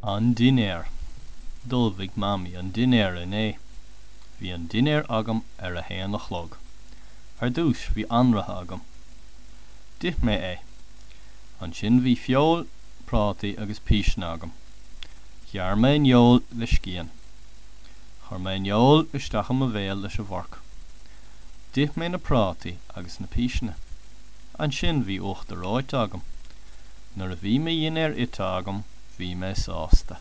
An Dinnéar. D'ullmhaigh Mamaí an dinnéar inné. Bhí an dinnéar agam ar a haon a chlog. Ar dtús bhí anraith agam. D'ith mé é. Ansin bhí feoil, prátaí agus píseanna agam. Ghearr mé an fheoil le scian. Chuir mé an fheoil isteach i mo bhéal leis an bhforc. D'ith mé na prátaí agus na píseanna. Ansin bhí uachtar reoite agam. Nuair a bhí mo dhinnéar ite agam bhí mé sásta.